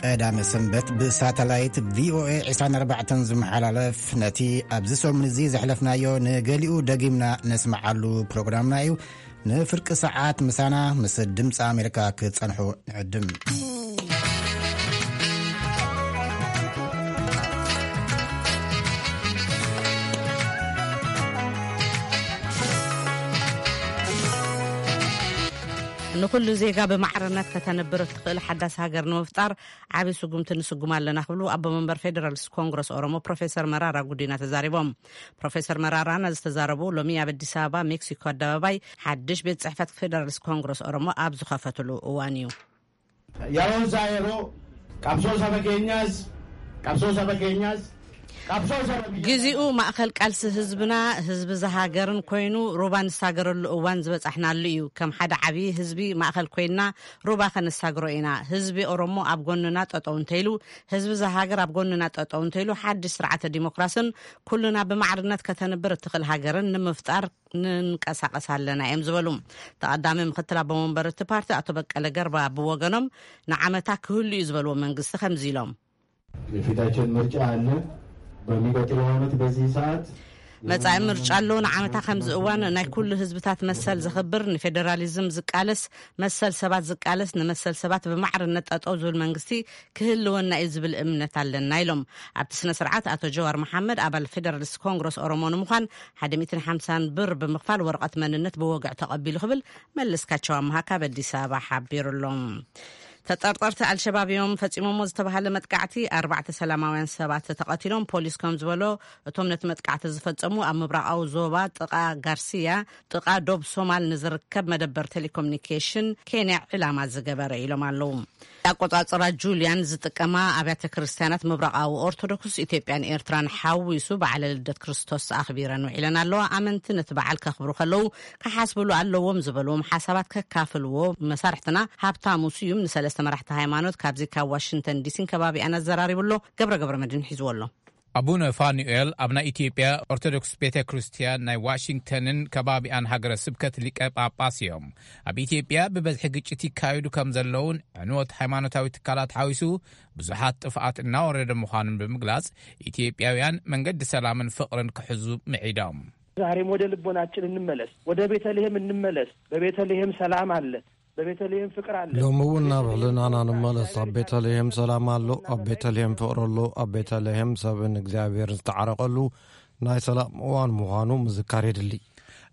ቀዳመ ሰንበት ብሳተላይት ቪ ኦ ኤ ዕስራን ኣርባዕተን ዝመሓላለፍ፣ ነቲ ኣብዚ ሰሙን እዚ ዘሕለፍናዮ ንገሊኡ ደጊምና ነስምዓሉ ፕሮግራምና እዩ። ንፍርቂ ሰዓት ምሳና ምስ ድምፂ ኣሜሪካ ክትጸንሑ ንዕድም። ንኹሉ ዜጋ ብማዕርነት ከተንብር እትኽእል ሓዳስ ሃገር ንምፍጣር ዓቢ ስጉምቲ ንስጉም ኣለና ክብሉ ኣቦ መንበር ፌደራሊስት ኮንግረስ ኦሮሞ ፕሮፌሰር መራራ ጉዲና ተዛሪቦም። ፕሮፌሰር መራራ ነዚ ዝተዛረቡ ሎሚ ኣብ ኣዲስ ኣበባ ሜክሲኮ ኣደባባይ ሓድሽ ቤት ጽሕፈት ፌደራሊስት ኮንግረስ ኦሮሞ ኣብ ዝኸፈትሉ እዋን እዩ። Yeroon isaa yeroo qabsoo saba keenyaas qabsoo saba keenyaas qabsoo saba biyya ግዜኡ ማእኸል ቃልሲ ህዝብና፣ ህዝቢ ዝሃገርን ኮይኑ ሩባ ንሳገረሉ እዋን ዝበጻሕናሉ እዩ። ከም ሓደ ዓብዪ ህዝቢ ማእኸል ኮይንና ሩባ ከነሳግሮ ኢና። ህዝቢ ኦሮሞ ኣብ ጎንና ጠጠው እንተይሉ፣ ህዝቢ ዝሃገር ኣብ ጎንና ጠጠው እንተይሉ፣ ሓድሽ ስርዓተ ዲሞክራስን ኩልና ብማዕርነት ከተንብር እትኽእል ሃገርን ንምፍጣር ንንቀሳቐስ ኣለና እዮም ዝበሉ። ተቐዳሚ ምክትል ኣቦ መንበር እቲ ፓርቲ ኣቶ በቀለ ገርባ ብወገኖም ንዓመታ ክህሉ እዩ ዝበልዎ መንግስቲ ከምዚ ኢሎም። የፊታችን ምርጫ አለ። በሚቀጥለው ዓመት በዚህ ሰዓት መጻኢ ምርጫ ኣሎ። ንዓመታ ከምዚ እዋን ናይ ኩሉ ህዝብታት መሰል ዘኽብር፣ ንፌዴራሊዝም ዝቃለስ፣ መሰል ሰባት ዝቃለስ፣ ንመሰል ሰባት ብማዕርነት ጠጠው ዝብል መንግስቲ ክህልወና እዩ ዝብል እምነት ኣለና ኢሎም። ኣብቲ ስነ ስርዓት ኣቶ ጀዋር መሓመድ ኣባል ፌደራሊስት ኮንግረስ ኦሮሞ ንምዃን ሓደ ሚእትን ሓምሳን ብር ብምኽፋል ወረቐት መንነት ብወግዒ ተቐቢሉ ክብል መለስካቸው ኣምሃ ካብ ኣዲስ ኣበባ ሓቢሩሎም። ተጠርጠርቲ ኣልሸባብ እዮም ፈጺሞሞ ዝተባሃለ መጥቃዕቲ ኣርባዕተ ሰላማውያን ሰባት ተቐቲሎም። ፖሊስ ከም ዝበሎ እቶም ነቲ መጥቃዕቲ ዝፈጸሙ ኣብ ምብራቓዊ ዞባ ጥቓ ጋርሲያ ጥቓ ዶብ ሶማል ንዝርከብ መደበር ቴሌኮሙኒኬሽን ኬንያ ዕላማ ዝገበረ ኢሎም ኣለዉ። ኣቆጻጽራ ጁልያን ዝጥቀማ ኣብያተ ክርስቲያናት ምብራቓዊ ኦርቶዶክስ ኢትዮጵያን ኤርትራን ሓዊሱ በዓለ ልደት ክርስቶስ ኣኽቢረን ውዒለን ኣለዋ። ኣመንቲ ነቲ በዓል ከኽብሩ ከለዉ ክሓስብሉ ኣለዎም ዝበልዎም ሓሳባት ከካፍልዎ መሳርሕትና ሃብታሙ ስዩም ንሰለስተ መራሕቲ ሃይማኖት ካብዚ ካብ ዋሽንግተን ዲሲን ከባቢኣን ኣዘራሪቡ ኣሎ። ገብረ ገብረ መድህን ሒዝዎ ኣሎ። ኣቡነ ፋኑኤል ኣብ ናይ ኢትዮጵያ ኦርቶዶክስ ቤተ ክርስቲያን ናይ ዋሽንግተንን ከባቢኣን ሃገረ ስብከት ሊቀ ጳጳስ እዮም። ኣብ ኢትዮጵያ ብበዝሒ ግጭት ይካየዱ ከም ዘለውን ዕንወት ሃይማኖታዊ ትካላት ሓዊሱ ብዙሓት ጥፍኣት እናወረደ ምዃኑን ብምግላጽ፣ ኢትዮጵያውያን መንገዲ ሰላምን ፍቕርን ክሕዙ ምዒዶም። ዛሬም ወደ ልቦናችን እንመለስ፣ ወደ ቤተልሔም እንመለስ። በቤተልሔም ሰላም አለ፣ በቤተልሔም ፍቅር አለ። ሎሚ እውን ናብ ሕልናና ንመለስ። ኣብ ቤተልሔም ሰላም ኣሎ፣ ኣብ ቤተልሔም ፍቕሪ ኣሎ፣ ኣብ ቤተልሔም ሰብን እግዚኣብሔር ዝተዓረቐሉ ናይ ሰላም እዋን ምዃኑ ምዝካር የድሊ።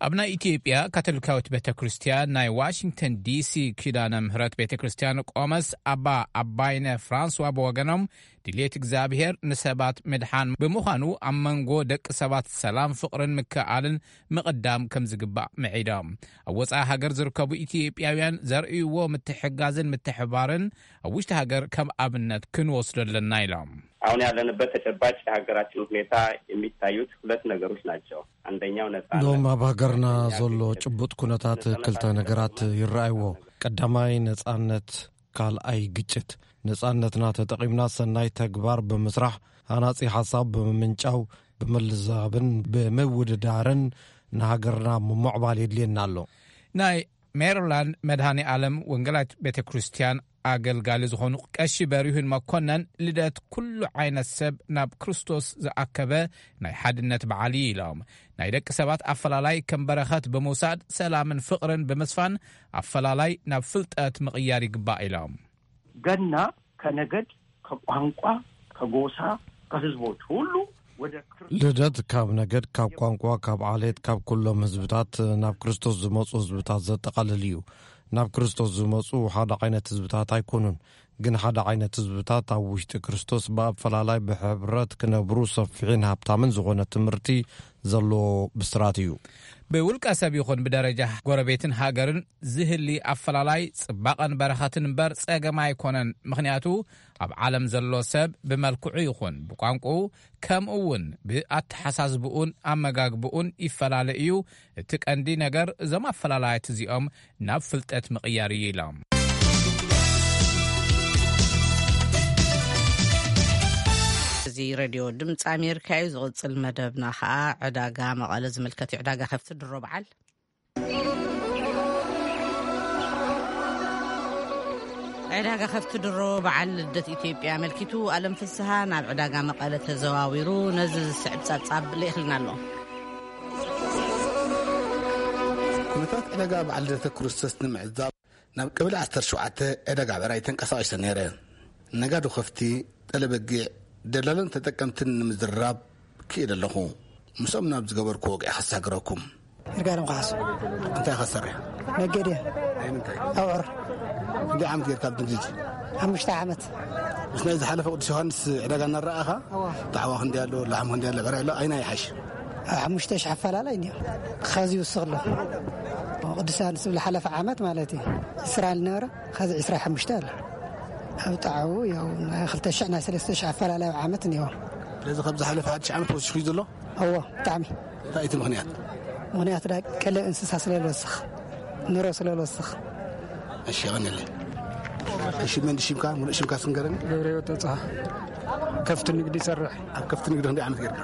ኣብ ናይ ኢትዮጵያ ካቶሊካዊት ቤተ ክርስቲያን ናይ ዋሽንግተን ዲሲ ኪዳነ ምህረት ቤተ ክርስቲያን ቆመስ ኣባ ኣባይነ ፍራንስዋ ብወገኖም ድልየት እግዚኣብሔር ንሰባት ምድሓን ብምዃኑ ኣብ መንጎ ደቂ ሰባት ሰላም፣ ፍቕርን ምክእኣልን ምቕዳም ከም ዝግባእ ምዒዶም። ኣብ ወጻኢ ሃገር ዝርከቡ ኢትዮጵያውያን ዘርእይዎ ምትሕጋዝን ምትሕባርን ኣብ ውሽጢ ሃገር ከም ኣብነት ክንወስዶ ኣለና ኢሎም። አሁን ያለንበት ተጨባጭ የሀገራችን ሁኔታ የሚታዩት ሁለት ነገሮች ናቸው። አንደኛው ነጻነት። ሎም ኣብ ሃገርና ዘሎ ጭቡጥ ኩነታት ክልተ ነገራት ይረኣይዎ። ቀዳማይ ነጻነት፣ ካልኣይ ግጭት። ነጻነትና ተጠቒምና ሰናይ ተግባር ብምስራሕ፣ ሃናጺ ሓሳብ ብምምንጫው፣ ብምልዛብን ብምውድዳርን ንሃገርና ምምዕባል የድልየና ኣሎ። ናይ ሜሪላንድ መድኃኔ ዓለም ወንጌላዊት ቤተ ክርስቲያን ኣገልጋሊ ዝኾኑ ቀሺ በሪሁን መኮነን፣ ልደት ኩሉ ዓይነት ሰብ ናብ ክርስቶስ ዝኣከበ ናይ ሓድነት በዓል እዩ ኢሎም። ናይ ደቂ ሰባት ኣፈላላይ ከም በረኸት ብምውሳድ፣ ሰላምን ፍቕርን ብምስፋን፣ ኣፈላላይ ናብ ፍልጠት ምቕያር ይግባእ ኢሎም። ገና ከነገድ፣ ከቋንቋ፣ ከጎሳ፣ ከህዝቦች ሁሉ ወደ ክርስቶስ። ልደት ካብ ነገድ፣ ካብ ቋንቋ፣ ካብ ዓሌት፣ ካብ ኩሎም ህዝብታት ናብ ክርስቶስ ዝመጹ ህዝብታት ዘጠቓልል እዩ። ናብ ክርስቶስ ዝመጹ ሓደ ዓይነት ህዝብታት ኣይኮኑን፣ ግን ሓደ ዓይነት ህዝብታት ኣብ ውሽጢ ክርስቶስ ብኣፈላላይ ብሕብረት ክነብሩ ሰፊሕን ሃብታምን ዝኾነ ትምህርቲ ዘለዎ ብስራት እዩ። ብውልቀ ሰብ ይኹን ብደረጃ ጎረቤትን ሃገርን ዝህሊ ኣፈላላይ ጽባቐን በረኸትን እምበር ጸገም ኣይኮነን። ምኽንያቱ ኣብ ዓለም ዘሎ ሰብ ብመልክዑ ይኹን ብቋንቋኡ ከምኡ እውን ብኣተሓሳስብኡን ኣመጋግብኡን ይፈላለ እዩ። እቲ ቀንዲ ነገር እዞም ኣፈላላያት እዚኦም ናብ ፍልጠት ምቕያር እዩ ኢሎም። እዚ ሬድዮ ድምፂ ኣሜሪካ እዩ። ዝቕፅል መደብና ከዓ ዕዳጋ መቐለ ዝምልከት እዩ። ዕዳጋ ከፍቲ ድሮ በዓል ዕዳጋ ከፍቲ ድሮ በዓል ልደት ኢትዮጵያ ኣመልኪቱ፣ ኣለም ፍስሃ ናብ ዕዳጋ መቐለ ተዘዋዊሩ ነዚ ዝስዕብ ጸብጻብ ልኢኽልና ኣሎ። ኩነታት ዕዳጋ በዓል ልደተ ክርስቶስ ንምዕዛብ ናብ ቀበሌ ዓሰርተ ሸውዓተ ዕዳጋ ብዕራይ ተንቀሳቒሰ ነይረ። ነጋዶ ከፍቲ፣ ጠለበጊዕ፣ ደላሎን ተጠቀምትን ንምዝርራብ ክኢለ ኣለኹ። ምስኦም ናብ ዝገበርኩ ወግዒ ከሳግረኩም። ይርጋለም ካሕሱ። እንታይ ኢኻ ትሰርሕ? ነጋዴ። ናይ ምንታይ? ኣብዑር። ክንደይ ዓመት ጌርካ ኣብ ንግዲ? ሓሙሽተ ዓመት። ምስ ናይ ዝሓለፈ ቅዱስ ዮሃንስ ዕዳጋ እናረኣኻ? እዋ። ጣዕዋ ክንደይ ኣሎ፣ ላሕሚ ክንደይ ኣሎ፣ ብዕራይ ኣሎ፣ ኣይና ይሓሽ? ሓሙሽተ ሺሕ ኣፈላላይ እኒኦ። ኸዚ ይውስኽ ኣሎ። ቅዱስ ዮሃንስ ዝብል ሓለፈ ዓመት ማለት እዩ። ዕስራ ዝነበረ፣ ኸዚ ዕስራ ሓሙሽተ ኣሎ። ኣብ ጣዕው ያው ናይ ክልተ ሺሕ ናይ ሰለስተ ሺሕ ኣፈላላይ ኣብ ዓመት እኒኦ። ስለዚ ካብ ዝሓለፈ ሓድሽ ዓመት ወሲኹ እዩ ዘሎ? እዎ፣ ብጣዕሚ። እንታይ እቲ ምኽንያት? ምኽንያት ዳ ቀለብ እንስሳ ስለ ዝወስኽ፣ ኑሮ ስለ ዝወስኽ። እሺ፣ የቐንየለይ። እሺ፣ መን ሽምካ? ሙሉእ ሽምካ ስንገረኒ። ገብረ ህይወት ተጽሃ። ከፍቲ ንግዲ ይሰርሕ። ኣብ ከፍቲ ንግዲ ክንደይ ዓመት ጌርካ?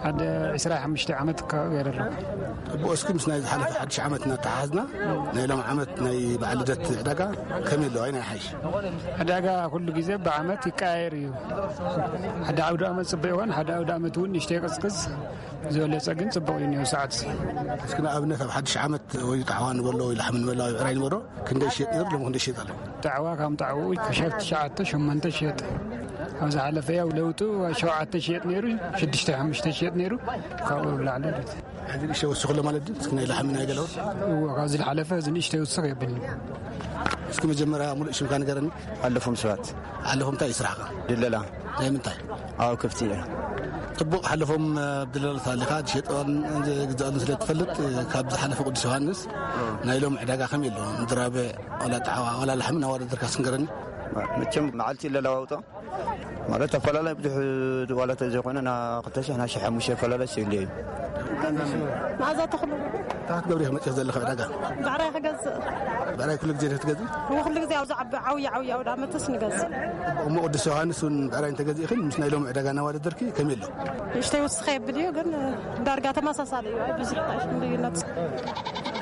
ሓደ ዕስራ ሓሙሽተ ዓመት ከባቢ ገይረ ኣለኹ። ጽቡቕ፣ እስኪ ምስ ናይ ዝሓለፈ ሓድሽ ዓመት እናተሓሓዝና፣ ናይ ሎም ዓመት ናይ በዓል ልደት ዕዳጋ ከመይ ኣለዋ? ኣይና ይሓይሽ? ዕዳጋ ኩሉ ግዜ ብዓመት ይቀያየር እዩ። ሓደ ዓውደ ዓመት ጽቡቕ ይኾን፣ ሓደ ዓውደ ዓመት እውን ንእሽተይ ይቕዝቅዝ፣ ዝበለጸ ግን ጽቡቕ እዩ እኒኦ ሰዓት እዚ። እስኪ ንኣብነት ኣብ ሓድሽ ዓመት ወይ ጣዕዋ ንበሎ ወይ ላሕሚ ንበሎ ወይ ብዕራይ ንበሎ ክንደይ ይሸጥ ነይሩ፣ ሎሚ ክንደይ ይሸጥ ኣሎ? ጣዕዋ ከም ጣዕዋኡ ሸርፍ ትሽዓተ ሸሞንተ ይሸጥ። ኣብ ዝሓለፈ ያው ለውጡ ሸውዓተ ይሸጥ ነይሩ፣ ሽዱሽተ ሓሙሽተ ይሸጥ ነይሩ፣ ካብኡ ብላዕሊ ማለት እዩ። ሕዚ ንእሽተይ ወሲኹ ኣሎ ማለት ድዩ? እስኪ ናይ ላሕሚ ናይ ገለ እውን? እዎ፣ ካብዚ ዝሓለፈ እዚ ንእሽተይ ይውስኽ የብልን። እስኪ መጀመርያ ሙሉእ ሽምካ ንገረኒ። ኣለፎም ስብሐት። ኣለፎም እንታይ እዩ ስራሕካ? ድለላ። ናይ ምንታይ? ኣብ ከፍቲ እየ። ጽቡቕ፣ ሓለፎም ኣብ ድለላ ተሃሊኻ ትሸጦን ዝግዛኦን ስለ ትፈልጥ፣ ካብ ዝሓለፈ ቅዱስ ዮሃንስ ናይ ሎም ዕዳጋ ከመይ ኣሎ? ምድራብዕ፣ ዋላ ጣዕዋ፣ ዋላ ላሕሚ እናወዳደርካ ስንገረኒ። መቸም መዓልቲ ይለዋወጦ። ማለት ኣፈላላይ ብዙሕ ዋላ ተዘይኮነ፣ ና ክልተ ሽሕ፣ ና ሽሕ ሓሙሽተ ኣፈላላይ ስኢሉ እዩ። መኣዛ ተኽሉ። እንታይ ክትገብሪ ኢኺ መፂኺ ዘለኺ ዕዳጋ? ብዕራይ ክገዝእ። ብዕራይ ኩሉ ግዜ ዲኺ ትገዝኢ? እዎ፣ ኩሉ ግዜ ኣብዚ ዓቢ ዓውዪ ዓውዪ ኣውደ ዓመትስ ንገዝእ። እሞ ቅዱስ ዮሃንስ እውን ብዕራይ እንተገዚእኽን ምስ ናይ ሎሚ ዕዳጋ እናወዳደርኪ ከመይ ኣሎ? ንእሽተይ ውስኸ የብል እዩ፣ ግን ዳርጋ ተመሳሳሊ እዩ። ኣይ ብዙሕ ኣይሽም ልዩነት።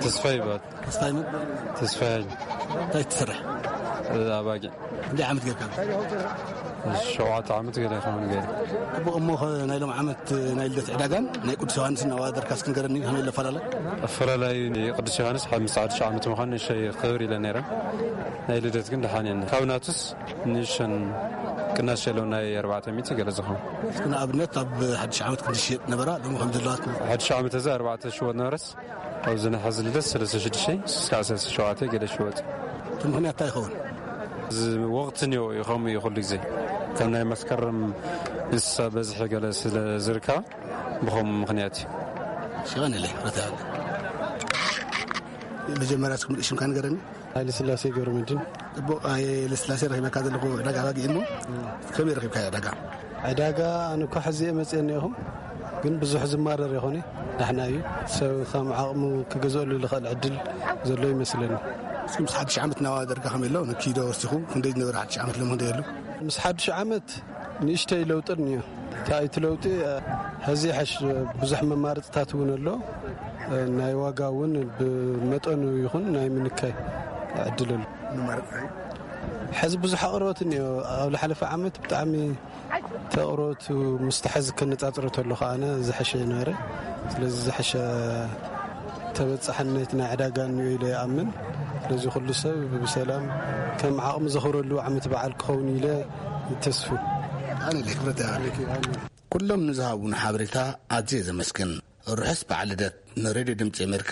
ተስፋ ይባል። ተስፋይ መን? ተስፋይ። እንታይ ትሰርሕ? ኣባጊዕ። ክንደይ ዓመት ጌርካ? ሸውዓተ ዓመት ገለ ይኸውን ገለ። ጽቡቕ፣ እሞ ኸ ናይ ሎም ዓመት ናይ ልደት ዕዳጋን ናይ ቅዱስ ዮሃንስን ኣወዳድርካ እስኪ ንገረኒ፣ ከመይ ኣሎ ኣፈላላይ? ኣፈላላይ ቅዱስ ዮሃንስ ምስ ሓድሽ ዓመት ምዃኑ ንእሽተይ ክብር ኢለ ነይረ። ናይ ልደት ግን ደሓን እየን። ካብ ናቱስ ንእሽተን ቅናሽ የለውን፣ ናይ ኣርባዕተ ሚእቲ ገለ ዝኸውን። እስኪ ንኣብነት ኣብ ሓድሽ ዓመት ክንዲ ሽየጥ ነበራ፣ ሎሚ ከም ዘለዋ? ሓድሽ ዓመት እዚ ኣርባዕተ ሽወጥ ነበረስ፣ ኣብዚ ናይ ሕዚ ልደት ሰለስተ ሽዱሽተ እስካብ ሰለስተ ሸውዓተ ገለ ሽወጥ። እቲ ምኽንያት እንታይ ይኸውን? እዚ ወቕቲ እኒኦ እዩ፣ ከምኡ እዩ ኩሉ ግዜ። ከም ናይ መስከረም እንስሳ በዝሒ ገለ ስለ ዝርከባ ብኸምኡ ምኽንያት እዩ። ሽቐንለይ፣ ረታ። መጀመርያ እስኪ ሙሉእ ሽምካ ንገረኒ። ሃይለ ስላሴ ገብረመድህን። ጽቡቕ፣ ሃይለ ስላሴ፣ ረኺበካ ዘለኹ ዕዳጋ ኣባጊዕ እሞ፣ ከመይ ረኺብካዮ ዕዳጋ? ዕዳጋ ኣነ እኳ ሕዚ እየ መፅአ እኒአኹም፣ ግን ብዙሕ ዝማረር ይኾነ፣ ዳሕና እዩ። ሰብ ከም ዓቕሙ ክገዝአሉ ዝኽእል ዕድል ዘሎ ይመስለኒ። እስኪ ምስ ሓድሽ ዓመት እናወዳደርካ ከመይ ኣሎ? ንኪዶ ወሲኹ ክንደይ ዝነበረ ሓድሽ ዓመት ሎሚ ክንደይ ኣሎ? ምስ ሓድሽ ዓመት ንእሽተይ ለውጢ እኒኦ። እንታይ እቲ ለውጢ? ሕዚ ይሐሽ፣ ብዙሕ መማረፅታት እውን ኣሎ። ናይ ዋጋ እውን ብመጠኑ ይኹን ናይ ምንካይ ዕድል ኣሎ። መማረፅታይ? ሕዚ ብዙሕ ኣቕርቦት እኒኦ። ኣብ ዝሓለፈ ዓመት ብጣዕሚ እቲ ኣቕርቦት ምስቲ ሕዚ ከነፃፅሮ ተሎ ከዓነ ዝሐሸ ነበረ። ስለዚ ዝሐሸ ተበፃሕነት ናይ ዕዳጋ እኒኦ ኢለ ይኣምን። ስለዚ ኩሉ ሰብ ብሰላም ከም ዓቕሚ ዘኽብረሉ ዓመት በዓል ክኸውን ኢለ ይተስፉ። ኣነ ክብረት ይሃበለኪ። ኩሎም ንዝሃቡና ሓበሬታ ኣዝየ ዘመስግን። ርሑስ በዓል ልደት። ንሬድዮ ድምፂ ኣሜሪካ፣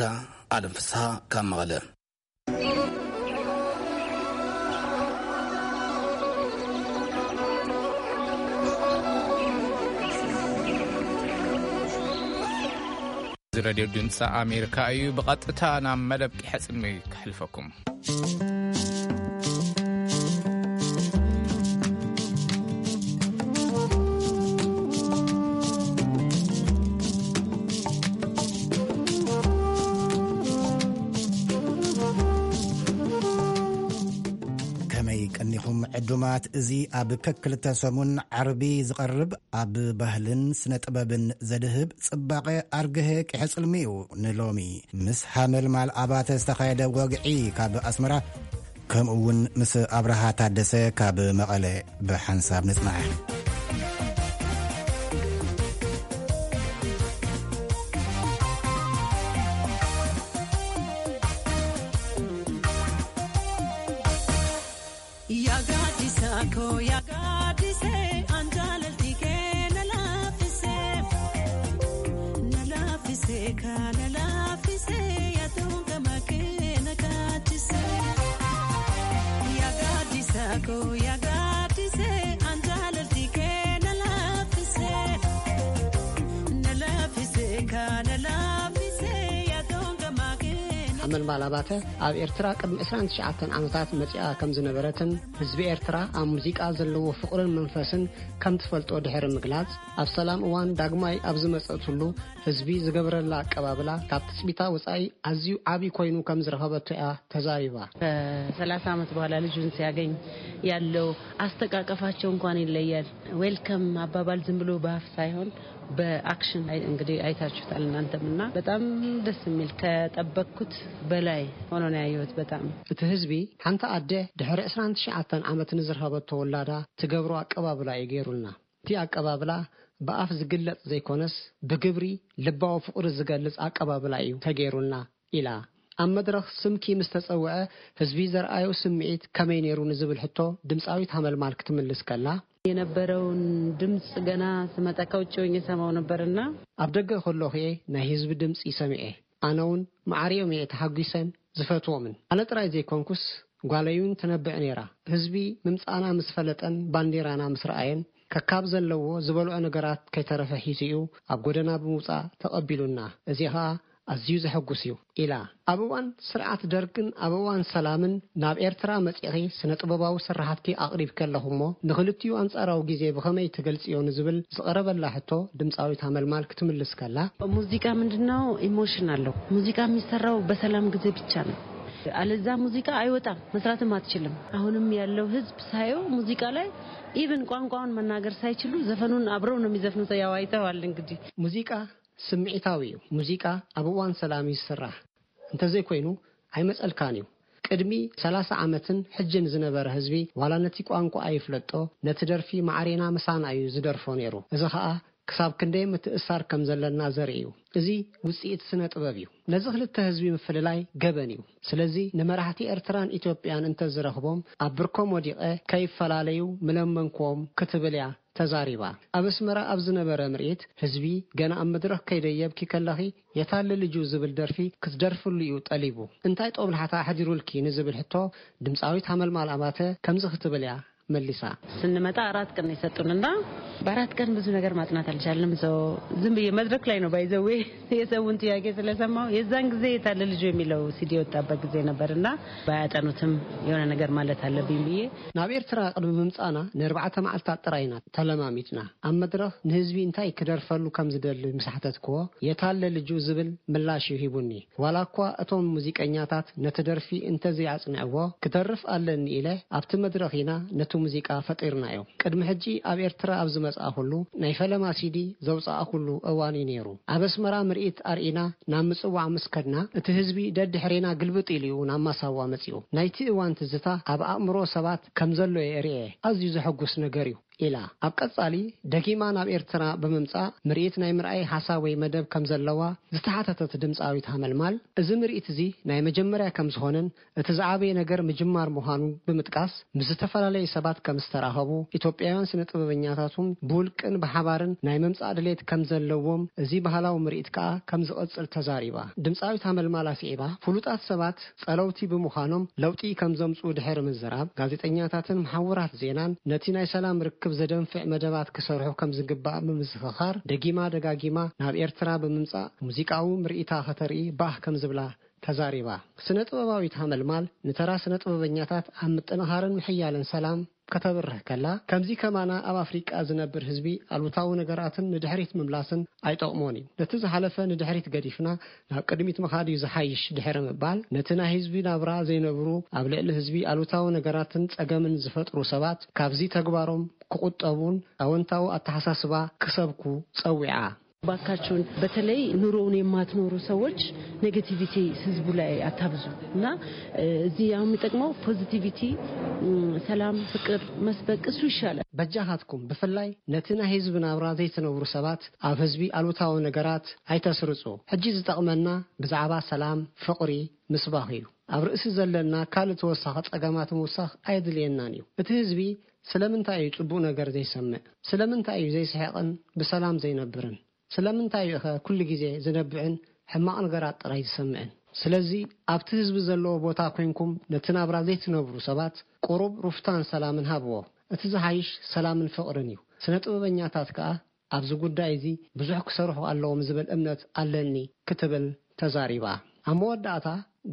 ኣለም ፍስሃ ካብ መቐለ። እዚ ሬድዮ ድምፂ ኣሜሪካ እዩ። ብቐጥታ ናብ መደብ ቂሐ ጽልሚ ከሕልፈኩም። ከመይ ቀኒኹም ዕዱማት? እዚ ኣብ ከክልተ ሰሙን ዓርቢ ዝቐርብ ኣብ ባህልን ስነ ጥበብን ዘድህብ ጽባቐ ኣርግሀ ቂሐ ጽልሚ እዩ። ንሎሚ ምስ ሃመልማል ኣባተ ዝተኻየደ ወግዒ ካብ ኣስመራ ከምኡ እውን ምስ ኣብርሃ ታደሰ ካብ መቐለ ብሓንሳብ ንጽናሕ። Yagadisako, yagadise, anjalaltike, nalafise, nalafise, ka, nalafise, yatunga makena kachise. Yagadisako, yagadise, anjalaltike, nalafise, nalafise, ka, nalafise, yatunga makena ሓመልማል ኣባተ ኣብ ኤርትራ ቅድሚ ዕስራን ትሽዓተን ዓመታት መጺኣ ከም ዝነበረትን ህዝቢ ኤርትራ ኣብ ሙዚቃ ዘለዎ ፍቕርን መንፈስን ከም ትፈልጦ ድሕሪ ምግላጽ፣ ኣብ ሰላም እዋን ዳግማይ ኣብ ዝመጸትሉ ህዝቢ ዝገብረላ ኣቀባብላ ካብ ትጽቢታ ወጻኢ ኣዝዩ ዓቢ ኮይኑ ከም ዝረኸበቶ እያ ተዛሪባ። ከ30 ዓመት በኋላ ልጁን ሲያገኝ ያለው አስተቃቀፋቸው እንኳን ይለያል። ዌልከም አባባል ዝም ብሎ በአፍ ሳይሆን በአክሽን አይ-፣ እንግዲህ አይታችሁታል እናንተም እና በጣም ደስ የሚል ከጠበቅኩት በላይ ሆኖ ነው ያየሁት። በጣም እቲ ህዝቢ ሓንቲ ኣደ ድሕሪ ዕስራን ትሽዓተን ዓመት ንዝረኸበቶ ወላዳ ትገብሮ ኣቀባብላ እዩ ገይሩልና። እቲ ኣቀባብላ ብኣፍ ዝግለጽ ዘይኮነስ ብግብሪ ልባዊ ፍቕሪ ዝገልጽ ኣቀባብላ እዩ ተገይሩልና ኢላ። ኣብ መድረኽ ስምኪ ምስ ተጸውዐ ህዝቢ ዘርኣዮ ስምዒት ከመይ ነይሩ ንዝብል ሕቶ ድምጻዊት ሃመልማል ክትምልስ ከላ፣ የነበረውን ድምጽ ገና ስመጣ ከውጭ ሆኜ ሰማው ነበርና ኣብ ደገ ከለኹ እየ ናይ ህዝቢ ድምጺ ሰሚዐ። ኣነ እውን ማዕሪኦም እየ ተሓጒሰን ዝፈትዎምን። ኣነ ጥራይ ዘይኮንኩስ ጓለይ እውን ትነብዕ ነይራ። ህዝቢ ምምጻእና ምስ ፈለጠን ባንዴራና ምስ ረኣየን ከካብ ዘለዎ ዝበልዖ ነገራት ከይተረፈ ሒዙ እዩ ኣብ ጎደና ብምውጻእ ተቐቢሉና። እዚ ኸኣ ኣዝዩ ዘሐጉስ እዩ ኢላ። ኣብ እዋን ስርዓት ደርግን ኣብ እዋን ሰላምን ናብ ኤርትራ መጺኺ ስነ ጥበባዊ ስራሓትኪ ኣቕሪብኪ ኣለኹ እሞ ንኽልቲኡ ኣንጻራዊ ግዜ ብኸመይ ትገልጽዮ ንዝብል ዝቐረበላ ሕቶ ድምጻዊት ሃመልማል ክትምልስ ከላ፣ ሙዚቃ ምንድን ነው? ኢሞሽን አለው። ሙዚቃ የሚሰራው በሰላም ጊዜ ብቻ ነው። አለዛ ሙዚቃ አይወጣም፣ መስራትም አትችልም። አሁንም ያለው ህዝብ ሳየው ሙዚቃ ላይ ኢቭን ቋንቋውን መናገር ሳይችሉ ዘፈኑን አብረው ነው የሚዘፍኑት። ያው አይተዋል እንግዲህ። ሙዚቃ ስምዒታዊ እዩ። ሙዚቃ ኣብ እዋን ሰላም እዩ ዝስራሕ። እንተዘይኮይኑ ኣይመጸልካን እዩ። ቅድሚ ሰላሳ ዓመትን ሕጅን ዝነበረ ህዝቢ ዋላ ነቲ ቋንቋ ኣይፍለጦ፣ ነቲ ደርፊ ማዕሬና ምሳና እዩ ዝደርፎ ነይሩ። እዚ ኸኣ ክሳብ ክንደይ ምትእስሳር ከም ዘለና ዘርኢ እዩ። እዚ ውጽኢት ስነ ጥበብ እዩ። ነዚ ክልተ ህዝቢ ምፍልላይ ገበን እዩ። ስለዚ ንመራሕቲ ኤርትራን ኢትዮጵያን እንተዝረኽቦም ኣብ ብርኮም ወዲቐ ከይፈላለዩ ምለመንክዎም ክትብል እያ ተዛሪባ። ኣብ ኣስመራ ኣብ ዝነበረ ምርኢት ህዝቢ ገና ኣብ መድረኽ ከይደየብኪ ከለኺ የታለ ልጁ ዝብል ደርፊ ክትደርፍሉ እዩ ጠሊቡ። እንታይ ጦብላሕታ ኣሕዲሩልኪ ንዝብል ሕቶ ድምፃዊት ሃመልማል ኣባተ ከምዚ ክትብል እያ መሊሳ። ስንመጣ አራት ቀን ነው የሰጡንና በአራት ቀን ብዙ ነገር ማጥናት አልቻልንም። So ዝም ብዬ መድረክ ላይ ነው ባይዘዌ የሰውን ጥያቄ ስለሰማው የዛን ጊዜ የታለ ልጁ የሚለው ሲዲ የወጣበት ጊዜ ነበርና ባያጠኑትም የሆነ ነገር ማለት አለብኝ ብዬ ናብ ኤርትራ ቅድሚ ምምጻና ንኣርባዕተ መዓልታት ጥራይ ኢና ተለማሚጥና። ኣብ መድረኽ ንህዝቢ እንታይ ክደርፈሉ ከም ዝደሊ ምስ ሓተትክዎ፣ የታለ ልጁ ዝብል ምላሽ እዩ ሂቡኒ። ዋላ እኳ እቶም ሙዚቀኛታት ነቲ ደርፊ እንተዘይኣጽንዕዎ፣ ክደርፍ ኣለኒ ኢለ ኣብቲ መድረኽ ኢና ነቲ ሙዚቃ ፈጢርናዮ። ቅድሚ ሕጂ ኣብ ኤርትራ ኣብ ዝመጽኣኹሉ ናይ ፈለማ ሲዲ ዘውጽኣኹሉ እዋን እዩ ነይሩ። ኣብ ኣስመራ ምርኢት ኣርኢና ናብ ምጽዋዕ ምስ ከድና፣ እቲ ህዝቢ ደድሕሬና ግልብጥ ኢሉ እዩ ናብ ማሳዋ መጺኡ። ናይቲ እዋን ትዝታ ኣብ ኣእምሮ ሰባት ከም ዘሎ እየ ርእየ። ኣዝዩ ዘሐጉስ ነገር እዩ ኢላ። ኣብ ቀጻሊ ደጊማ ናብ ኤርትራ ብምምጻእ ምርኢት ናይ ምርኣይ ሓሳብ ወይ መደብ ከም ዘለዋ ዝተሓተተት ድምጻዊት ሃመልማል፣ እዚ ምርኢት እዚ ናይ መጀመርያ ከም ዝኾነን እቲ ዝዓበየ ነገር ምጅማር ምዃኑ ብምጥቃስ፣ ምስ ዝተፈላለዩ ሰባት ከም ዝተራኸቡ፣ ኢትዮጵያውያን ስነ ጥበበኛታቱን ብውልቅን ብሓባርን ናይ ምምጻእ ድሌት ከም ዘለዎም፣ እዚ ባህላዊ ምርኢት ከኣ ከም ዝቕጽል ተዛሪባ። ድምጻዊት ሃመልማል ኣስዒባ፣ ፍሉጣት ሰባት ጸለውቲ ብምዃኖም ለውጢ ከም ዘምጽኡ ድሕሪ ምዝራብ፣ ጋዜጠኛታትን መሓውራት ዜናን ነቲ ናይ ሰላም ርክብ ዘደንፍዕ መደባት ክሰርሑ ከም ዝግባእ ብምዝኽኻር፣ ደጊማ ደጋጊማ ናብ ኤርትራ ብምምጻእ ሙዚቃዊ ምርኢታ ከተርኢ ባህ ከም ዝብላ ተዛሪባ። ስነ ጥበባዊት ሃመልማል ንተራ ስነ ጥበበኛታት ኣብ ምጥንኻርን ምሕያልን ሰላም ከተብርህ ከላ፣ ከምዚ ከማና ኣብ ኣፍሪቃ ዝነብር ህዝቢ ኣሉታዊ ነገራትን ንድሕሪት ምምላስን ኣይጠቕሞን እዩ። ነቲ ዝሓለፈ ንድሕሪት ገዲፍና ናብ ቅድሚት ምኻድ እዩ ዝሓይሽ ድሕሪ ምባል፣ ነቲ ናይ ህዝቢ ናብራ ዘይነብሩ፣ ኣብ ልዕሊ ህዝቢ ኣሉታዊ ነገራትን ጸገምን ዝፈጥሩ ሰባት ካብዚ ተግባሮም ክቑጠቡን ኣወንታዊ ኣተሓሳስባ ክሰብኩ ጸዊዓ። ባካችሁን በተለይ ኑሮውን የማትኖሩ ሰዎች ኔጌቲቪቲ ህዝቡ ላይ አታብዙ እና እዚህ ያው የሚጠቅመው ፖዚቲቪቲ፣ ሰላም፣ ፍቅር መስበቅ እሱ ይሻላል። በጃኻትኩም ብፍላይ ነቲ ናይ ህዝቢ ናብራ ዘይትነብሩ ሰባት ኣብ ህዝቢ ኣሉታዊ ነገራት ኣይተስርጹ። ሕጂ ዝጠቕመና ብዛዕባ ሰላም፣ ፍቕሪ፣ ምስባኽ እዩ። ኣብ ርእሲ ዘለና ካልእ ተወሳኺ ጸገማት ምውሳኽ ኣየድልየናን እዩ። እቲ ህዝቢ ስለምንታይ እዩ ጽቡቕ ነገር ዘይሰምዕ? ስለምንታይ እዩ ዘይስሕቕን ብሰላም ዘይነብርን? ስለምንታይ እዩ ኸ ኩሉ ግዜ ዝነብዕን ሕማቕ ነገራት ጥራይ ዝሰምዕን? ስለዚ ኣብቲ ህዝቢ ዘለዎ ቦታ ኮይንኩም ነቲ ናብራ ዘይትነብሩ ሰባት ቁሩብ ሩፍታን ሰላምን ሃብዎ። እቲ ዝሓይሽ ሰላምን ፍቕርን እዩ። ስነ ጥበበኛታት ከኣ ኣብዚ ጉዳይ እዚ ብዙሕ ክሰርሑ ኣለዎም ዝብል እምነት ኣለኒ ክትብል ተዛሪባ። ኣብ መወዳእታ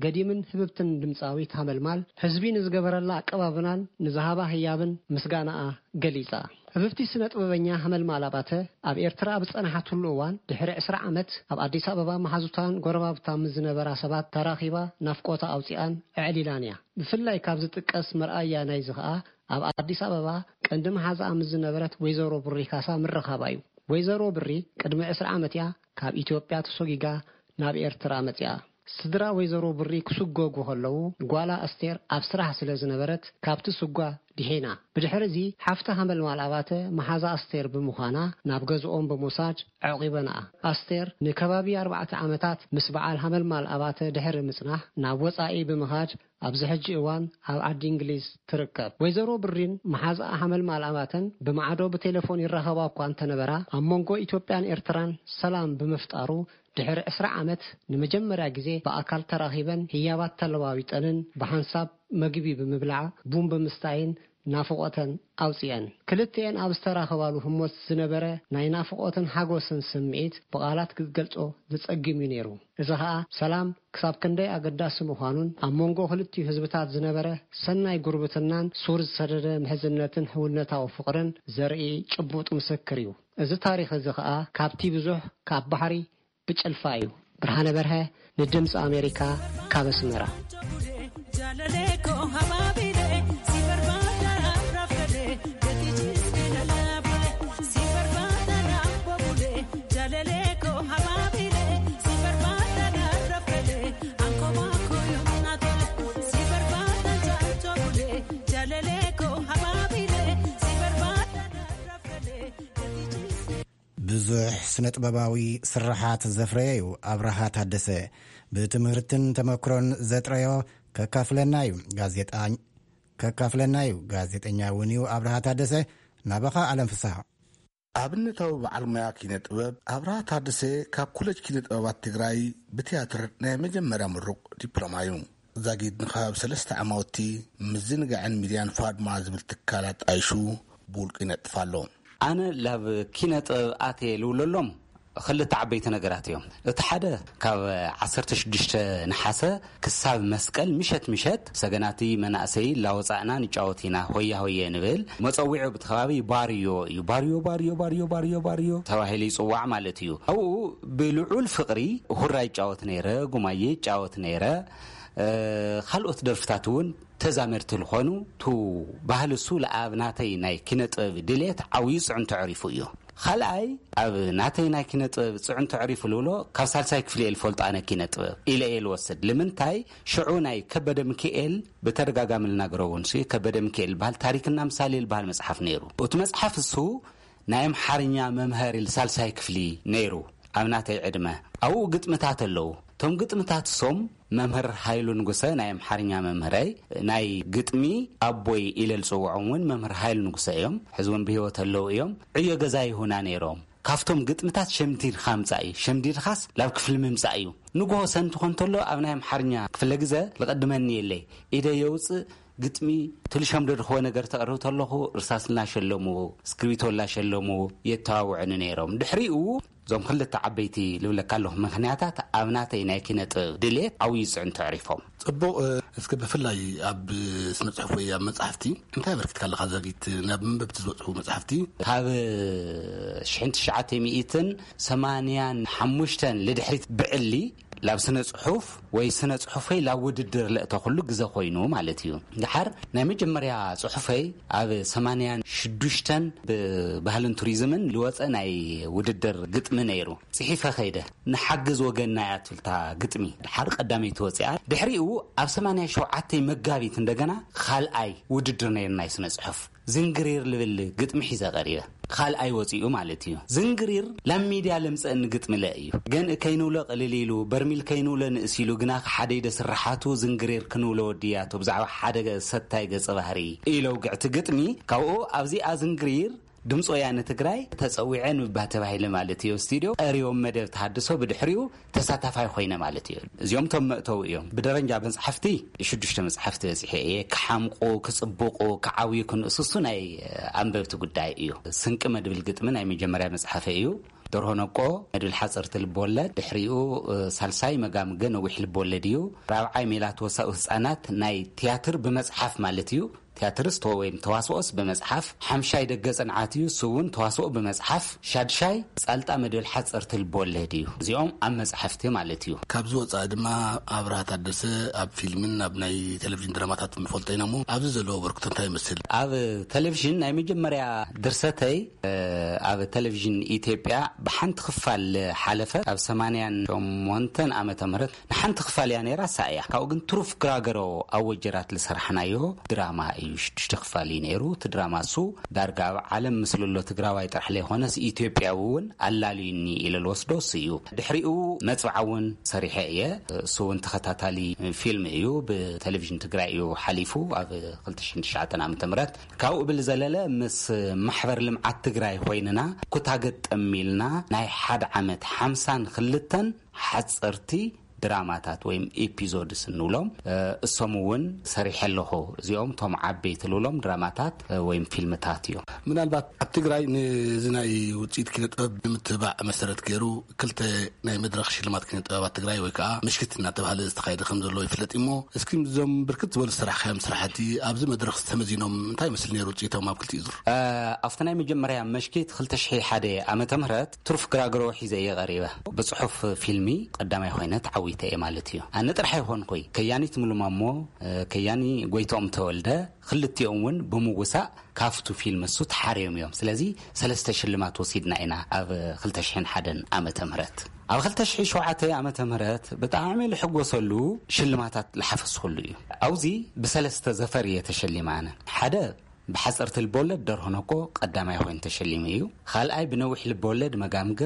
ገዲምን ህብብትን ድምጻዊት ሃመልማል ህዝቢ ንዝገበረላ ኣቀባብናን ንዝሃባ ህያብን ምስጋናኣ ገሊጻ። ህብብቲ ስነ ጥበበኛ ሃመልማል ኣባተ ኣብ ኤርትራ ኣብ ዝጸንሓትሉ እዋን ድሕሪ ዕስራ ዓመት ኣብ ኣዲስ ኣበባ መሓዙታን ጎረባብታ ምስ ዝነበራ ሰባት ተራኺባ ናፍቆታ ኣውጺኣን ኣዕሊላን እያ። ብፍላይ ካብ ዝጥቀስ መርኣያ ናይዚ ኸኣ ኣብ ኣዲስ ኣበባ ቀንዲ መሓዛኣ ምስ ዝነበረት ወይዘሮ ብሪ ካሳ ምርኻባ እዩ። ወይዘሮ ብሪ ቅድሚ ዕስራ ዓመት እያ ካብ ኢትዮጵያ ተሶጊጋ ናብ ኤርትራ መጺኣ። ስድራ ወይዘሮ ብሪ ክስጎጉ ከለዉ ጓላ ኣስቴር ኣብ ስራሕ ስለ ዝነበረት ካብቲ ስጓ ድሒና። ብድሕሪ እዚ ሓፍቲ ሃመልማል ኣባተ መሓዛ ኣስቴር ብምዃና ናብ ገዝኦም ብምውሳድ ኣዕቒበንኣ። ኣስቴር ንከባቢ ኣርባዕተ ዓመታት ምስ በዓል ሃመልማል ኣባተ ድሕሪ ምጽናሕ ናብ ወጻኢ ብምኻድ ኣብዚ ሕጂ እዋን ኣብ ዓዲ እንግሊዝ ትርከብ። ወይዘሮ ብሪን መሓዛኣ ሓመልማል ኣባተን ብማዕዶ ብቴሌፎን ይራኸባ እኳ እንተነበራ፣ ኣብ መንጎ ኢትዮጵያን ኤርትራን ሰላም ብምፍጣሩ ድሕሪ ዕስራ ዓመት ንመጀመርያ ግዜ ብኣካል ተራኺበን ህያባት ተለዋዊጠንን ብሓንሳብ መግቢ ብምብላዕ ቡን ብምስታይን ናፍቖተን ኣውጺአን። ክልቲኤን ኣብ ዝተራኸባሉ ህሞት ዝነበረ ናይ ናፍቖትን ሓጎስን ስምዒት ብቓላት ክትገልጾ ዘጸግም እዩ ነይሩ። እዚ ኸኣ ሰላም ክሳብ ክንደይ ኣገዳሲ ምዃኑን ኣብ መንጎ ክልቲኡ ህዝብታት ዝነበረ ሰናይ ጉርብትናን ሱር ዝሰደደ ምሕዝነትን ሕውነታዊ ፍቕርን ዘርኢ ጭቡጥ ምስክር እዩ። እዚ ታሪኽ እዚ ኸኣ ካብቲ ብዙሕ ካብ ባሕሪ ብጭልፋ እዩ። ብርሃነ በርሀ ንድምፂ ኣሜሪካ ካብ ኣስመራ። ብዙሕ ስነ ጥበባዊ ስርሓት ዘፍረየ እዩ ኣብርሃ ታደሰ። ብትምህርትን ተመክሮን ዘጥረዮ ከካፍለና እዩ። ጋዜጣ ከካፍለና እዩ። ጋዜጠኛ እውን እዩ ኣብርሃ ታደሰ። ናባኻ ኣለም ፍስሃ። ኣብነታዊ በዓል ሞያ ኪነ ጥበብ ኣብርሃ ታደሰ ካብ ኮለጅ ኪነ ጥበባት ትግራይ ብትያትር ናይ መጀመርያ ምሩቕ ዲፕሎማ እዩ። ዛጊድ ንከባቢ ሰለስተ ዓማውቲ ምዝንጋዕን ሚድያን ፋድማ ዝብል ትካል ኣጣይሹ ብውልቁ ይነጥፍ ኣሎ። ኣነ ላብ ኪነ ጥበብ ኣትየ ልውለሎም ክልተ ዓበይቲ ነገራት እዮም። እቲ ሓደ ካብ ዓሰርተ ሽዱሽተ ነሓሰ ክሳብ መስቀል ምሸት ምሸት ሰገናቲ መናእሰይ ላወፃእና ንጫወት ኢና፣ ሆያ ሆየ ንብል። መፀዊዑ ብቲ ከባቢ ባርዮ እዩ። ባርዮ፣ ባርዮ፣ ባርዮ፣ ባርዮ፣ ባርዮ ተባሂሉ ይፅዋዕ ማለት እዩ። ኣብኡ ብልዑል ፍቕሪ ሁራ ይጫወት ነይረ፣ ጉማየ ይጫወት ነይረ። እ፣ ካልኦት ደርፍታት እውን ተዛመድቲ ዝኾኑ፣ ቱ ባህሊ እሱ ለኣብ ናተይ ናይ ኪነ ጥበብ ድሌት ዓብዩ ጽዕንቶ ዕሪፉ እዩ። ካልኣይ፣ ኣብ ናተይ ናይ ኪነ ጥበብ ጽዕንቶ ዕሪፉ ልብሎ፣ ካብ ሳልሳይ ክፍሊ እየ ልፈልጦ ኣነ ኪነ ጥበብ ኢለ እየ ልወስድ። ልምንታይ? ሽዑ ናይ ከበደ ሚካኤል ብተደጋጋሚ ልናገሮ እውን ሲ፣ ከበደ ሚካኤል ልበሃል ታሪክና ምሳሌ ልበሃል መጽሓፍ ነይሩ። እቲ መጽሓፍ እሱ ናይ ኣምሓርኛ መምሃሪ ሳልሳይ ክፍሊ ነይሩ ኣብ ናተይ ዕድመ። ኣብኡ ግጥምታት ኣለዉ። እቶም ግጥምታት እሶም መምህር ሃይሉ ንጉሰ ናይ ኣምሓርኛ መምህረይ፣ ናይ ግጥሚ ኣቦይ ኢለ ዝጽውዖም እውን መምህር ሃይሉ ንጉሰ እዮም። ሕዚ እውን ብህይወት ኣለዉ እዮም። ዕዮ ገዛ ይሁና ነይሮም። ካብቶም ግጥምታት ሸምዲድካ ምጻእ እዩ። ሸምዲድካስ ላብ ክፍሊ ምምጻእ እዩ። ንግሆ ሰንቲ ኮን ተሎ ኣብ ናይ ኣምሓርኛ ክፍለ ግዘ ልቐድመኒ የለይ። ኢደ የውጽእ ግጥሚ ትልሸምዶ ድኽወ ነገር ተቕርብ ተለኹ እርሳስ እናሸለሙ፣ እስክሪብቶ እናሸለሙ የተዋውዑኒ ነይሮም። ድሕሪኡ እዞም ክልተ ዓበይቲ ልብለካ ኣለኹ ምኽንያታት ኣብ ናተይ ናይ ኪነ ጥበብ ድሌት ዓብዪ ጽዕንቶ ኣዕሪፎም። ጽቡቕ። እ፣ እስከ ብፍላይ ኣብ ስነ ጽሑፍ ወይ ኣብ መጻሕፍቲ እንታይ ኣበርኪትካ ኣለኻ ዛጊት? ናብ መንበብቲ ዝበጽሑ መጻሕፍቲ? ካብ ሽሕን ትሽዓተ ሚእትን ሰማንያን ሓሙሽተን ልድሕሪት ብዕሊ ላብ ስነ ጽሑፍ ወይ ስነ ጽሑፈይ ላብ ውድድር ለእተኹሉ ግዘ ኮይኑ ማለት እዩ። ድሓር ናይ መጀመርያ ጽሑፈይ ኣብ ሰማንያን ሽዱሽተን ብባህልን ቱሪዝምን ልወጸ ናይ ውድድር ግጥሚ ነይሩ። ጽሒፈ ከይደ፣ ንሓግዝ ወገንና እያ ትብል እታ ግጥሚ። ድሓር ቀዳመይቲ ወጺኣ። ድሕሪኡ ኣብ ሰማንያ ሸውዓተ መጋቢት እንደገና ካልኣይ ውድድር ነይሩ ናይ ስነ ጽሑፍ። ዝንግሪር ልብል ግጥሚ ሒዘ ቀሪበ። ካልኣይ ወጺኡ ማለት እዩ። ዝንግሪር ላብ ሚድያ ለምጸእኒ ግጥሚ ለ እዩ። ገንኢ ከይንውሎ ቅልል ኢሉ፣ በርሚል ከይንውሎ ንእስ ኢሉ፣ ግና ሓደ ኢደ ስርሓቱ ዝንግሪር ክንውሎ ወድያቶ ብዛዕባ ሓደ ሰታይ ገጸ ባህሪ ኢለ ውግዕቲ ግጥሚ። ካብኡ ኣብዚኣ ዝንግሪር ድምፂ ወያነ ትግራይ ተፀዊዐ ንባ ተባሂለ ማለት እዩ። ስቱዲዮ ቀሪቦም መደብ ተሃድሶ ብድሕሪኡ ተሳታፋይ ኮይነ ማለት እዩ። እዚኦም እቶም መእተዊ እዮም። ብደረጃ መፅሓፍቲ ሽዱሽተ መፅሓፍቲ በፂሐ እየ። ክሓምቁ፣ ክፅብቁ፣ ክዓብዩ፣ ክንእስሱ ናይ ኣንበብቲ ጉዳይ እዩ። ስንቂ መድብል ግጥሚ ናይ መጀመርያ መፅሓፈ እዩ። ደርሆ ነቆ መድብል ሓፀርቲ ልብወለድ፣ ድሕሪኡ ሳልሳይ መጋምገ ነዊሕ ልብወለድ እዩ። ራብዓይ ሜላትወሳኡ ህፃናት ናይ ትያትር ብመፅሓፍ ማለት እዩ። ቲያትርስ ተወ-፣ ወይም ተዋስኦስ ብመጽሓፍ፣ ሓምሻይ ደገ ጽንዓት እዩ፣ እሱ እውን ተዋስኦ ብመጽሓፍ፣ ሻድሻይ ጻልጣ መድብል ሓጸርቲ ልቦወለድ እዩ። እዚኦም ኣብ መጽሓፍቲ ማለት እዩ። ካብዚ ወጻኢ ድማ ኣብርሃ ታደሰ ኣብ ፊልምን ኣብ ናይ ቴሌቪዥን ድራማታት ንፈልጦ ኢና እሞ፣ ኣብዚ ዘለዎ ኣበርክቶ እንታይ ይመስል? ኣብ ቴሌቪዥን ናይ መጀመርያ ድርሰተይ፣ እ፣ ኣብ ቴሌቪዥን ኢትዮጵያ ብሓንቲ ክፋል ሓለፈ። ኣብ ሰማንያን ሸሞንተን ዓመተ ምህረት ንሓንቲ ክፋል እያ ነይራ፣ እሳ እያ። ካብኡ ግን ትሩፍ ግራገሮ ኣብ ወጀራት ዝሰራሕናዮ ድራማ እዩ። ሽዱሽተ ክፋል እዩ ነይሩ። እቲ ድራማ እሱ ዳርጋ ኣብ ዓለም ምስልሎ ትግራዋይ ጥራሕ ለይኮነስ ኢትዮጵያዊ እውን ኣላልዩኒ ኢለ ልወስዶ እሱ እዩ። ድሕሪኡ መጽብዓ እውን ሰሪሐ እየ። እሱ እውን ተኸታታሊ ፊልም እዩ። ብቴሌቪዥን ትግራይ እዩ ሓሊፉ ኣብ ክልተ ሽሕን ትሽዓተን ዓመተ ምህረት። ካብኡ ብዝዘለለ ምስ ማሕበር ልምዓት ትግራይ ኮይንና ኩታ ገጠም ኢልና ናይ ሓደ ዓመት ሓምሳን ክልተን ሓፀርቲ ድራማታት ወይም ኤፒዞድስ እንብሎም፣ እ፣ እሶም እውን ሰሪሐ ኣለኹ። እዚኦም እቶም ዓበይቲ ልብሎም ድራማታት፣ እ፣ ወይም ፊልምታት እዮም። ምናልባት ኣብ ትግራይ ነዚ ናይ ውፅኢት ኪነ ጥበብ ንምትብባዕ መሰረት ገይሩ ክልተ ናይ መድረኽ ሽልማት ኪነ ጥበባት ትግራይ ወይ ከዓ ምሽክት እናተባህለ ዝተኻየደ ከም ዘሎ ይፍለጥ እሞ፣ እስኪ እዞም ብርክት ዝበሉ ዝሰራሕካዮም ስራሕቲ ኣብዚ መድረኽ ተመዚኖም እንታይ ይመስል ነይሩ ውፅኢቶም ኣብ ክልቲኡ ዙር? እ፣ ኣብቲ ናይ መጀመርያ ምሽክት ክልተ ሽሕን ሓደን ዓመተ ምህረት ትሩፍ ግራግሮ ሒዘ እየ ቀሪበ። ብጽሑፍ ፊልሚ ቀዳማይ ኮይነ ተዓዊተ እየ ማለት እዩ። ኣነ ጥራሕ ኣይኮንኩይ፣ ከያኒት ሙሉ ማሞ፣ እ፣ ከያኒ ጎይትኦም ተወልደ፣ ክልቲኦም እውን ብምውሳእ ካብቱ ፊልም እሱ ተሓርዮም እዮም። ስለዚ ሰለስተ ሽልማት ወሲድና ኢና ኣብ ክልተ ሽሕን ሓደን ዓመተ ምህረት። ኣብ ክልተ ሽሕን ሸውዓተን ዓመተ ምህረት ብጣዕሚ ልሕጎሰሉ ሽልማታት ልሓፈስኩሉ እዩ። ኣብዚ ብሰለስተ ዘፈር እየ ተሸሊመ ኣነ። ሓደ ብሓፀርቲ ልቦለድ ደርሆ ነቆ ቀዳማይ ኮይኑ ተሸሊሙ እዩ። ካልኣይ ብነዊሕ ልቦለድ መጋምገ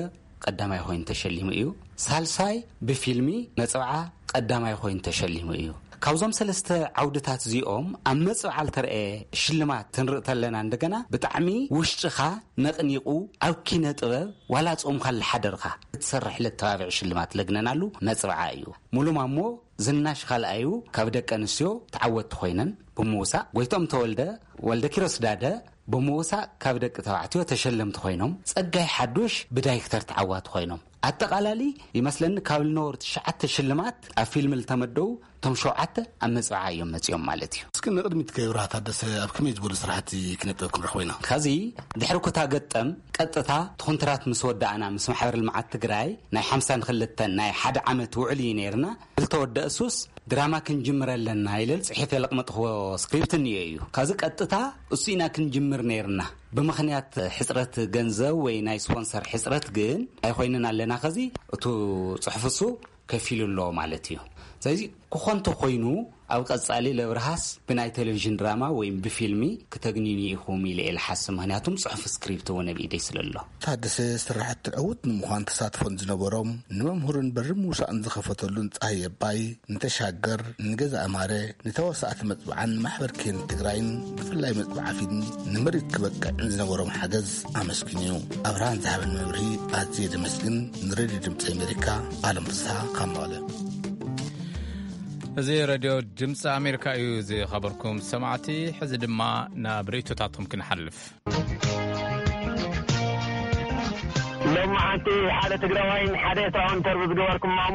ቀዳማይ ኮይኑ ተሸሊሙ እዩ። ሳልሳይ ብፊልሚ መፅብዓ ቀዳማይ ኮይኑ ተሸሊሙ እዩ። ካብዞም ሰለስተ ዓውድታት እዚኦም ኣብ መፅብዓ ልተረኤ ሽልማት ክንርኢ ተለና እንደገና ብጣዕሚ ውሽጥኻ ነቕኒቑ ኣብ ኪነ ጥበብ ዋላ ጾምካ ልሓደርካ ክትሰርሕ ለተባብዕ ሽልማት ለግነናሉ መፅብዓ እዩ። ሙሉ ማሞ ዝናሽ ካልኣዩ ካብ ደቂ ኣንስትዮ ተዓወትቲ ኮይነን ብምውሳእ፣ ጎይቶም ተወልደ፣ ወልደ ኪሮስ ዳደ ብምውሳእ ካብ ደቂ ተባዕትዮ ተሸለምቲ ኮይኖም፣ ጸጋይ ሓዱሽ ብዳይክተር ተዓዋቲ ኮይኖም፣ ኣጠቓላሊ ይመስለኒ ካብ ልነበሩ ትሽዓተ ሽልማት ኣብ ፊልም ልተመደቡ እቶም ሸውዓተ ኣብ መጽብዓ እዮም መጺኦም ማለት እዩ። እስኪ ንቕድሚት ከይብርሃ ታደሰ ኣብ ከመይ ዝበሉ ስራሕቲ ኪነ ጥበብ ክንረኽቦ ኢና? ከዚ ድሕሪ ኩታ ገጠም ቀጥታ እቲ ኮንትራት ምስ ወዳእና ምስ ማሕበር ልምዓት ትግራይ ናይ ሓምሳን ክልተን ናይ ሓደ ዓመት ውዕል እዩ ነይርና። ዝተወደአ ሱስ ድራማ ክንጅምር ኣለና ኢለ ጽሒፈ ለቕመጥኽዎ ስክሪፕት እኒኦ እዩ። ከዚ ቀጥታ እሱ ኢና ክንጅምር ነይርና። ብምኽንያት ሕጽረት ገንዘብ ወይ ናይ ስፖንሰር ሕጽረት ግን ኣይኮይንን ኣለና። ከዚ እቱ ጽሑፍ እሱ ከፊሉ ኣሎ ማለት እዩ። ስለዚ ክኾን ተኾይኑ ኣብ ቀጻሊ ለብርሃስ ብናይ ቴሌቪዥን ድራማ ወይም ብፊልሚ ክተግንዩኒ ኢኹም ኢለ እየ ልሓስብ። ምኽንያቱም ጽሑፍ ስክሪፕት እውን ኣብ ኢደይ ስለ ኣሎ። ታደሰ ስራሕቲ ዕዉት ንምዃን ተሳትፎን ዝነበሮም ንመምህሩን በሪ ምውሳእን ዝኸፈተሉን ጸሃየ ኣባይ፣ ንተሻገር፣ ንገዛ ኣማረ፣ ንተዋሳእቲ መጽብዓን ንማሕበር ኬን ትግራይን ብፍላይ መጽብዓ ፊልም ንምርኢት ክበቅዕን ዝነበሮም ሓገዝ ኣመስጊኑ እዩ። ኣብርሃን ዝሃበን መብርሂ ኣዝየ ዘመስግን። ንሬድዮ ድምፂ ኣሜሪካ ኣለም ፍስሃ ካብ መቐለ። እዚ ሬድዮ ድምፂ ኣሜሪካ እዩ። ዝኸበርኩም ሰማዕቲ፣ ሕዚ ድማ ናብ ርእይቶታትኩም ክንሓልፍ። ሎሚ ሓንቲ ሓደ ትግራዋይን ሓደ ኤርትራውን ኢንተርቪው ዝገበርኩማም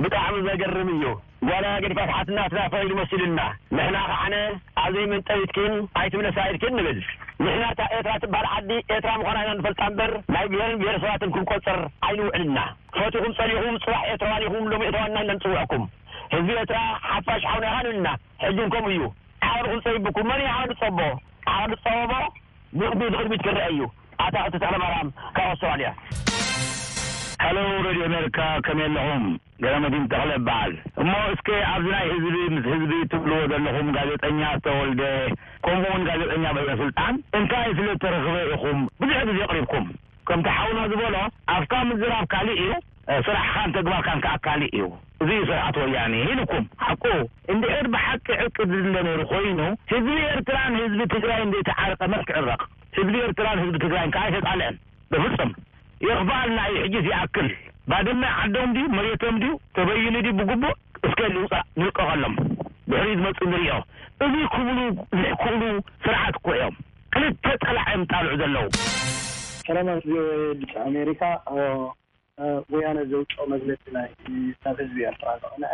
ብጣዕሚ ዘገርም እዩ። ጓላ ገዲፋት ሓትናትና ፈይሉ መሲሉና። ንሕና ከዓነ ኣብ ዘይመንጠቢትኪን ኣይትምለሳ ኢድኪን ንብል። ንሕና እታ ኤርትራ ትበሃል ዓዲ ኤርትራ ምዃና ኢና ንፈልጣ እምበር፣ ናይ ብሄርን ብሄረሰባትን ክንቆጽር ኣይንውዕልና። ፈቲኹም ጸሊኹም፣ ጽባሕ ኤርትራውያን ኢኹም፣ ሎሚ ኤርትራውያን ኢና ንጽውዕኩም። ህዝቢ ኤርትራ ሓፋሽ ሓውና ኢኻ ንብልና። ሕጂ እውን ከምኡ እዩ። ዓቕሊ ክንጸይብኩም፣ መን እዩ ዓቕሊ ዝጸቦ? ዓቕሊ ዝጸበቦ ንቕድሚት፣ ንቕድሚት ክረአ እዩ። ኣታ ክልተ ተኽለ ማርያም ካብ ኣውስትራልያ። ሃሎ፣ ሬድዮ ኣሜሪካ፣ ከመይ ኣለኹም? ገረመዲን ተኽለ እበሃል። እሞ እስከ ኣብዚ ናይ ህዝቢ ምስ ህዝቢ ትብልዎ ዘለኹም፣ ጋዜጠኛ ዝተወልደ፣ ከምኡ እውን ጋዜጠኛ በለ ስልጣን፣ እንታይ ስለ እተረኽበ ኢኹም ብዙሕ ግዜ ኣቕሪብኩም? ከምቲ ሓውና ዝበሎ፣ ኣፍካ ምዝራብ ካልእ እዩ፣ ስራሕኻን ተግባርካን ከኣ ካልእ እዩ። እዚ እዩ ስርዓት ወያኔ ኢልኩም። ሓቁ፣ እንድሕር ብሓቂ ዕርቂ ዝድለ ነይሩ ኮይኑ፣ ህዝቢ ኤርትራን ህዝቢ ትግራይን ዘይተዓረቐ መን ክዕረቕ? ህዝቢ ኤርትራን ህዝቢ ትግራይን ከኣ ኣይተጣልዐን። በፍጹም። የኽፍኣልና እዩ፣ ሕጂስ ይኣክል። ባድመ ዓዶም ድዩ፣ መሬቶም ድዩ፣ ተበይኑ ድዩ ብግቡእ? እስከ ንውጻእ፣ ንልቀቐሎም። ድሕሪኡ ዝመጽእ ንርእዮ። እዚ ክብሉ ዝሕክእሉ ስርዓት እኮ እዮም። ክልተ ጸላዕ እዮም ጣልዑ ዘለዉ። ሰላማት ቪኦኤ ድምፂ ኣሜሪካ። እ፣ ወያነ ዘውፅኦ መግለፂ ናይ ናብ ህዝቢ ኤርትራ ዘቕንዐ፣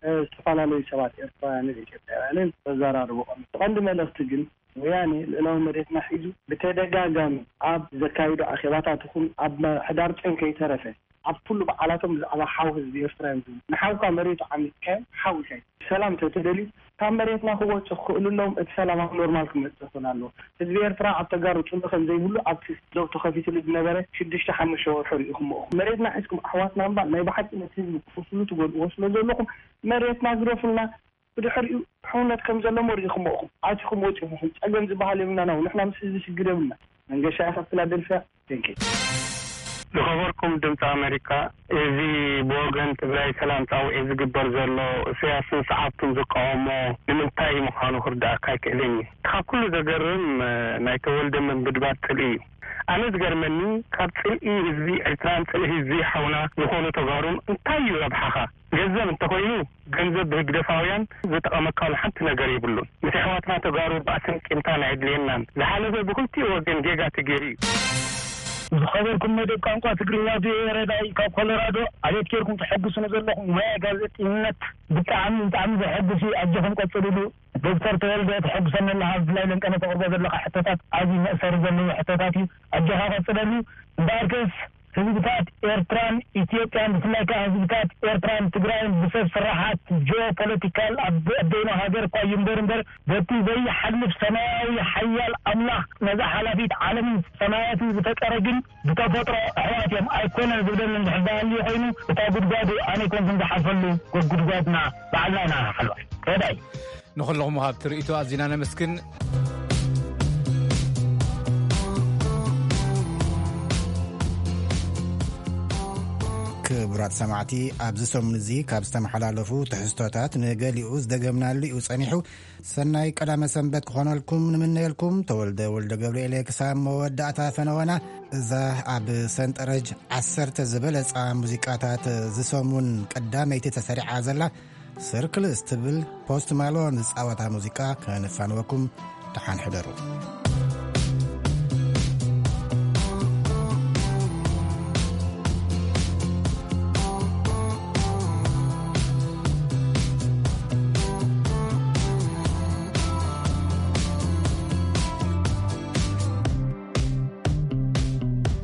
እ፣ ዝተፈላለዩ ሰባት ኤርትራውያንን ኢትዮጵያውያንን ዘዘራርቦ ቀንዲ፣ ቀንዲ መልእኽቲ ግን ወያኔ ልእላዊ መሬትና ሒዙ ብተደጋጋሚ ኣብ ዘካይዶ ኣኼባታት ይኹን ኣብ ምሕዳር ጨን ከይተረፈ ኣብ ኩሉ በዓላቶም ብዛዕባ ሓው ህዝቢ ኤርትራ እዮም ዝብሉ። ንሓውካ መሬቱ ዓሚጽካዮ ሓው ኢኻ። ሰላም ተተደልዩ ካብ መሬትና ክወጹ ክኽእሉ ኣለዎም። እቲ ሰላም ኣብ ኖርማል ክመጽእ ክኽእል ኣለዎ። ህዝቢ ኤርትራ ኣብ ተጋሩ ጽልኢ ከም ዘይብሉ ኣብቲ ዶብ ተኸፊትሉ ዝነበረ ሽዱሽተ ሓሙሽተ ወርሑ ርኢኹሞ ኢኹም። መሬትና ሒዝኩም ኣሕዋትና እምበር ናይ ብሓቂ ነቲ ህዝቢ ክትወስሉ ትጎድእዎ ስለ ዘለኹም መሬትና ግደፉልና። ብድሕሪኡ ሕውነት ከም ዘሎ መሪእኹም ኢኹም። ኣቲኹም ወጺኹም። ጸገም ዝበሃል የብልናን። ንሕና ምስ ህዝቢ ሽግር የብልና። መንገሻ ኢኻ ፊላደልፊያ። ቴንኪ። ዝኸበርኩም ድምፂ ኣሜሪካ፣ እዚ ብወገን ትግራይ ሰላም ጻውዒት ዝግበር ዘሎ፣ ኢሳያስን ሰዓብቱን ዝቃወሞ ንምንታይ ምዃኑ ክርዳእካ ኣይክእልን እዩ። ካብ ኩሉ ዘገርም፣ ናይ ተወልደ ምብድባድ ጽልኢ እዩ። ኣነ ዝገርመኒ፣ ካብ ጽልኢ ህዝቢ ኤርትራን ጽልኢ ህዝቢ ሓውና ዝኾኑ ተጋሩን እንታይ እዩ ረብሓኻ? ገንዘብ እንተኾይኑ፣ ገንዘብ ብህግደፋውያን ዝተቐመካሉ ሓንቲ ነገር የብሉን። ምስ ኣሕዋትና ተጋሩ ባእስን ቂምታን ኣየድልየናን። ዝሓለፈ ብክልቲኡ ወገን ጌጋ ተገይሩ እዩ። ዝኸበርኩም መደብ ቋንቋ ትግርኛ ቪኦኤ ረዳኢ ካብ ኮሎራዶ፣ ኣቤት ጌርኩም ተሐጉሱኒ ዘለኹም ሞያ ጋዜጠኝነት ብጣዕሚ፣ ብጣዕሚ ዘሐጉስ እዩ። ኣጆኹም ቀጽልሉ። ዶክተር ተወልደ ተሐጉሰኒ ኣለኻ፣ ብፍላይ ለንቀነ ተቕርቦ ዘለኻ ሕቶታት ኣዝዩ መእሰሪ ዘለዎ ሕቶታት እዩ። ኣጆኻ ቀጽለሉ። እምበኣርከስ ህዝብታት ኤርትራን ኢትዮጵያን፣ ብፍላይ ከኣ ህዝብታት ኤርትራን ትግራይን ብሰብ ስራሓት ጂኦፖለቲካል ኣብ ኣደይኖ ሃገር እኳ እዩ እምበር፣ እምበር በቲ ዘይሓልፍ ሰማያዊ ሓያል ኣምላኽ ነዛ ሓላፊት ዓለምን ሰማያትን ዝፈጠረ ግን ብተፈጥሮ ኣሕዋት እዮም። ኣይኮነን ዝብለኒ እንድሕር ዝሃልዩ ኮይኑ፣ እታ ጉድጓዱ ኣነ ኣይኮንኩን ዝሓልፈሉ፣ ጉድጓድና ባዕልና ኢና ንሓልፋ። ረዳይ። ንኹልኹም ወሃብቲ ርእይቶ ኣዚና ነመስግን። ክቡራት ሰማዕቲ፣ ኣብዚ ሰሙን እዚ ካብ ዝተመሓላለፉ ትሕዝቶታት ንገሊኡ ዝደገምናሉ እዩ ጸኒሑ። ሰናይ ቀዳመ ሰንበት ክኾነልኩም ንምነየልኩም። ተወልደ ወልደ ገብርኤል ክሳብ መወዳእታ ፈነወና። እዛ ኣብ ሰንጠረዥ ዓሰርተ ዝበለጻ ሙዚቃታት ዝሰሙን ቀዳመይቲ ተሰሪዓ ዘላ ሰርክልስ ትብል ፖስት ማሎን ዝጻወታ ሙዚቃ ከነፋንወኩም። ደሓን ሕደሩ።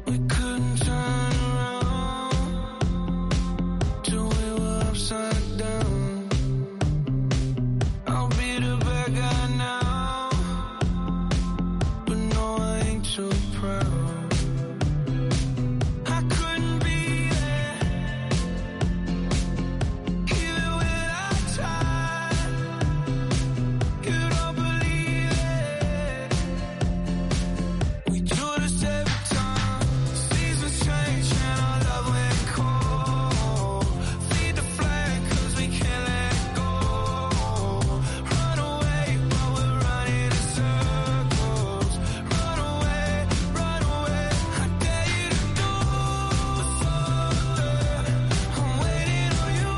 We couldn't turn around till we were upside down. I'll be the bad guy now, but no, I ain't too proud. I couldn't be there, even when I tried. You don't believe it. We do this every time. Seasons change and our love went cold. Feed the flame 'cause we can't let go. Run away while we're running in circles. Run away, run away. I dare you to do something. I'm waiting on you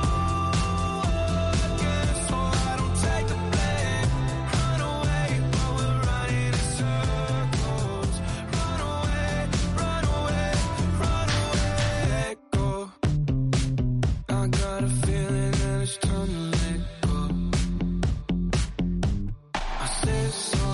again, so I don't take the blame. Run away while we're running in circles. Run away, run away, run away. Let go. I got a feeling that it's time to let go. I said so.